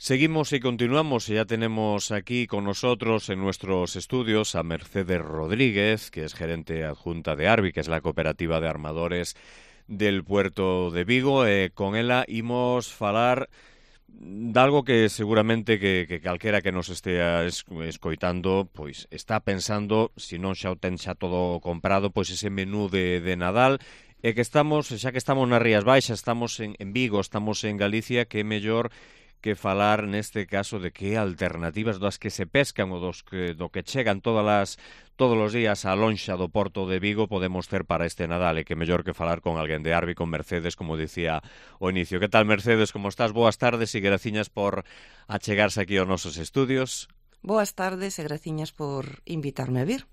Seguimos y continuamos, y ya tenemos aquí con nosotros en nuestros estudios a Mercedes Rodríguez, que es gerente adjunta de Arbi, que es la cooperativa de armadores del Puerto de Vigo. Con ela imos falar de algo que seguramente que calquera que nos estea escoitando pois está pensando, se non xa o ten xa todo comprado, pois ese menú de Nadal, e que estamos, xa que estamos nas Rías Baixas, estamos en Vigo, estamos en Galicia, que é mellor que falar neste caso de que alternativas das que se pescan ou do que chegan todos os días á lonxa do Porto de Vigo podemos ter para este Nadal, e que mellor que falar con alguén de Arbi, con Mercedes, como dicía ao inicio. Que tal, Mercedes, como estás? Boas tardes e graciñas por achegarse aquí aos nosos estudios. Boas tardes e graciñas por invitarme a vir.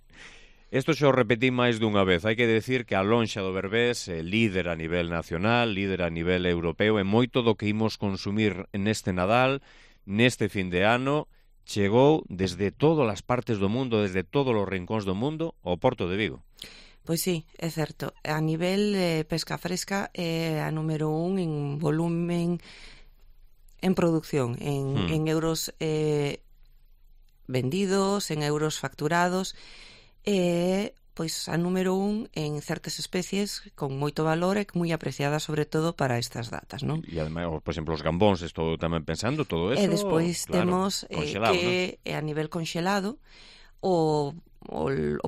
Isto xa o repetí máis dunha vez. Hai que decir que a lonxa do Berbés é líder a nivel nacional, líder a nivel europeo, e moito do que imos consumir neste Nadal, neste fin de ano, chegou desde todas as partes do mundo, desde todos os rincóns do mundo, ao Porto de Vigo. Pois sí, é certo. A nivel de pesca fresca é a número 1 en volumen, en producción, en euros vendidos, en euros facturados, pois a número 1 en certas especies con moito valor e moi apreciada sobre todo para estas datas, non? E ademais, por exemplo, os gambóns, estou tamén pensando, todo eso. E despois claro, temos que ¿no? A nivel conxelado o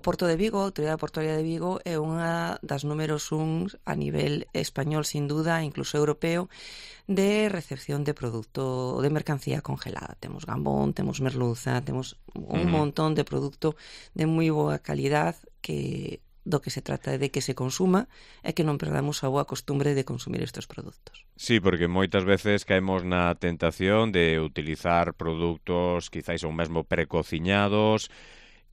Porto de Vigo, a Autoridade Portuaria de Vigo, é unha das números 1 a nivel español, sin duda, incluso europeo, de recepción de produto, de mercancía congelada. Temos gambón, temos merluza, temos un montón de produto de moi boa calidad que do que se trata é de que se consuma e que non perdamos a boa costumbre de consumir estes produtos. Sí, porque moitas veces caemos na tentación de utilizar produtos quizáis ou mesmo precociñados,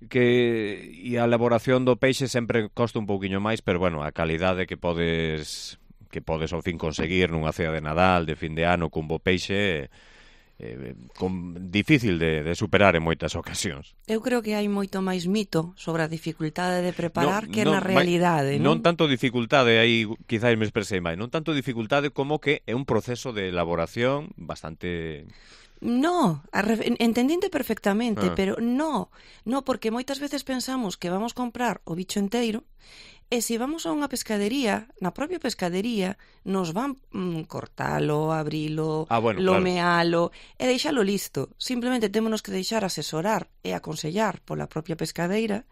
e a elaboración do peixe sempre costa un pouquiño máis, pero bueno, a calidade que podes ao fin conseguir nunha cea de Nadal, de fin de ano, cun bo peixe, difícil de superar en moitas ocasións. Eu creo que hai moito máis mito sobre a dificultade de preparar que na realidade, non tanto dificultade, aí quizáis me expresei máis, non tanto dificultade como que é un proceso de elaboración bastante... No, entendinte perfectamente, pero no, porque moitas veces pensamos que vamos comprar o bicho enteiro e se vamos a unha pescadería, na propia pescadería nos van cortalo, abrilo, lomealo, claro, e deixalo listo. Simplemente témonos que deixar asesorar e aconsellar pola propia pescadeira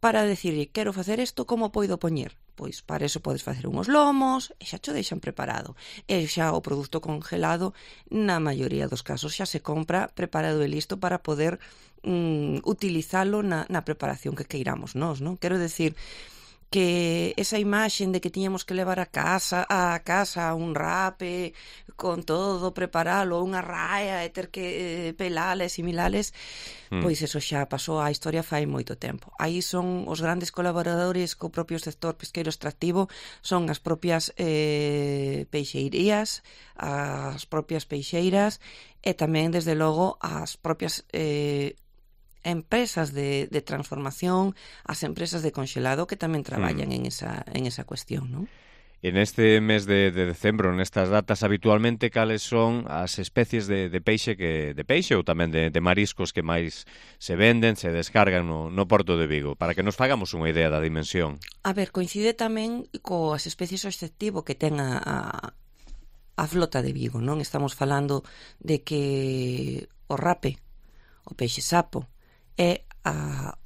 para decirlle, quero facer isto, como poido poñer? Pois para eso podes facer unhos lomos e xa cho deixan preparado. E xa o produto congelado, na maioría dos casos, xa se compra preparado e listo para poder utilizalo na preparación que queiramos nós, non? Quero decir que esa imaxen de que tiñamos que levar a casa un rape con todo, preparalo, unha raia e ter que pelales e milales, pois eso xa pasou á historia fai moito tempo. Aí son os grandes colaboradores co propio sector pesqueiro extractivo, son as propias peixeirías, as propias peixeiras e tamén, desde logo, as propias empresas de transformación, as empresas de conxelado que tamén traballan en esa cuestión, non? En este mes de decembro, nestas datas, habitualmente cales son as especies de peixe ou tamén de mariscos que máis se venden, se descargan no Porto de Vigo, para que nos fagamos unha idea da dimensión? A ver, coincide tamén coas especies obxectivo que ten a flota de Vigo, non? Estamos falando de que o rape, o peixe sapo, é a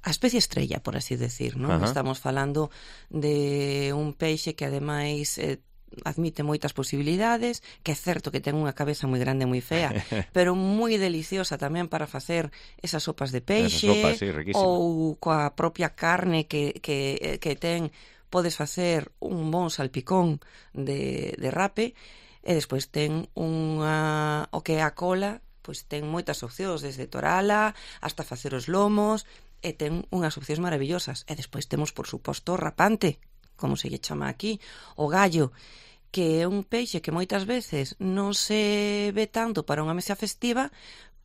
especie estrella, por así decir, non? Estamos falando de un peixe que ademais admite moitas posibilidades, que é certo que ten unha cabeza moi grande, moi fea, pero moi deliciosa tamén para facer esas sopas de peixe, ou coa propia carne que ten, podes facer un bon salpicón de rape, e despois ten o que é a cola, pois ten moitas opcións, desde torala hasta facer os lomos, e ten unhas opcións maravillosas. E despois temos, por suposto, o rapante, como se lle chama aquí, o gallo, que é un peixe que moitas veces non se ve tanto para unha mesa festiva,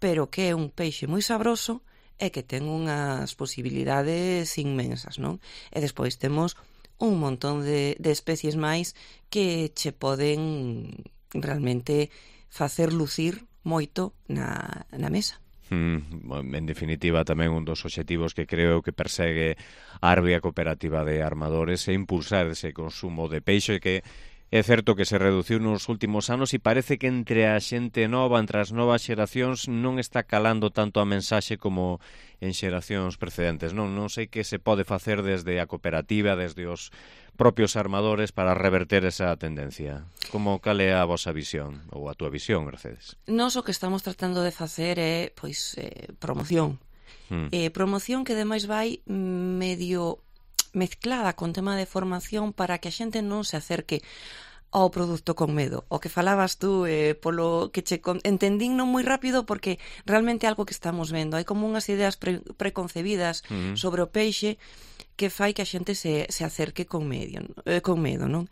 pero que é un peixe moi sabroso e que ten unhas posibilidades inmensas, non? E despois temos un montón de especies máis que che poden realmente facer lucir moito na mesa. En definitiva, tamén un dos obxectivos que creo que persegue a Arbia Cooperativa de Armadores é impulsar ese consumo de peixe que é certo que se reduciu nos últimos anos e parece que entre a xente nova, entre as novas xeracións, non está calando tanto a mensaxe como en xeracións precedentes. Non sei que se pode facer desde a cooperativa, desde os propios armadores para reverter esa tendencia. Cal é a vosa visión, ou a túa visión, Mercedes? Nós o que estamos tratando de facer é, promoción. Promoción que ademais vai medio mezclada con tema de formación para que a xente non se acerque ao produto con medo. O que falabas tú, polo que entendín non moi rápido porque realmente é algo que estamos vendo. Hai como unhas ideas preconcebidas sobre o peixe que fai que a xente se acerque con medo, non?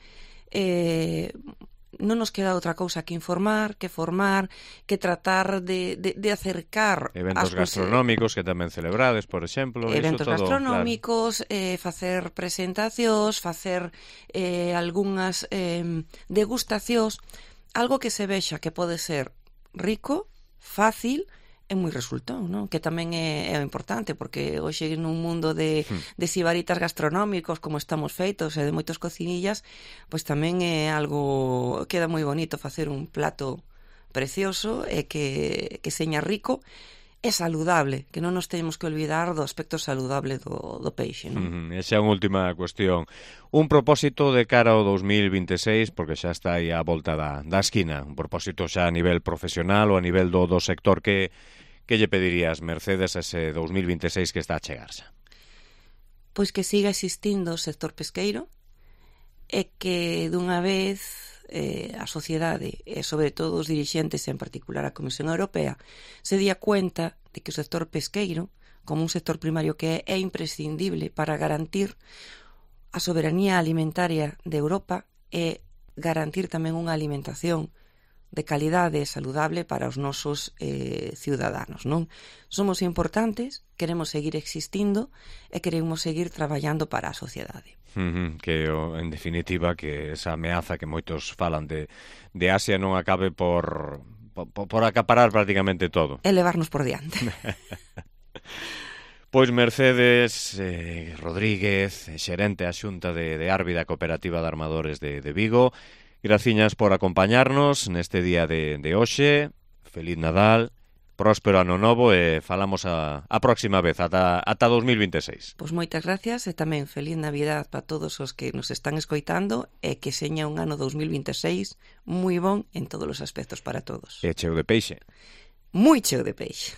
Non nos queda outra cousa que informar, que formar, que tratar de acercar eventos gastronómicos que tamén celebrades, por exemplo, eventos gastronómicos, claro. Facer presentacións, facer algunhas degustacións, algo que se vexa que pode ser rico, fácil e moi resultón, non? Que tamén é importante, porque hoxe nun mundo de sibaritas gastronómicos como estamos feitos e de moitos cocinillas, pois tamén é algo, queda moi bonito facer un plato precioso e que seña rico e saludable, que non nos temos que olvidar do aspecto saludable do peixe, non? Esa é unha última cuestión. Un propósito de cara ao 2026, porque xa está aí a volta da esquina, un propósito xa a nivel profesional ou a nivel do sector que lle pedirías, Mercedes, a ese 2026 que está a chegarse? Pois que siga existindo o sector pesqueiro e que dunha vez a sociedade e sobre todo os dirixentes, en particular a Comisión Europea, se día cuenta de que o sector pesqueiro, como un sector primario que é imprescindible para garantir a soberanía alimentaria de Europa e garantir tamén unha alimentación de calidade e saludable para os nosos ciudadanos, non? Somos importantes, queremos seguir existindo e queremos seguir traballando para a sociedade. Que, en definitiva, que esa ameaza que moitos falan de Asia non acabe por acaparar prácticamente todo. E levarnos por diante. Pois Mercedes Rodríguez, xerente a Xunta de Árbida Cooperativa de Armadores de Vigo, graciñas por acompañarnos neste día de hoxe. Feliz Nadal, próspero ano novo e falamos a próxima vez, ata 2026. Pois moitas gracias e tamén feliz Navidad para todos os que nos están escoitando e que seña un ano 2026 moi bon en todos os aspectos para todos. E cheo de peixe. Moi cheo de peixe.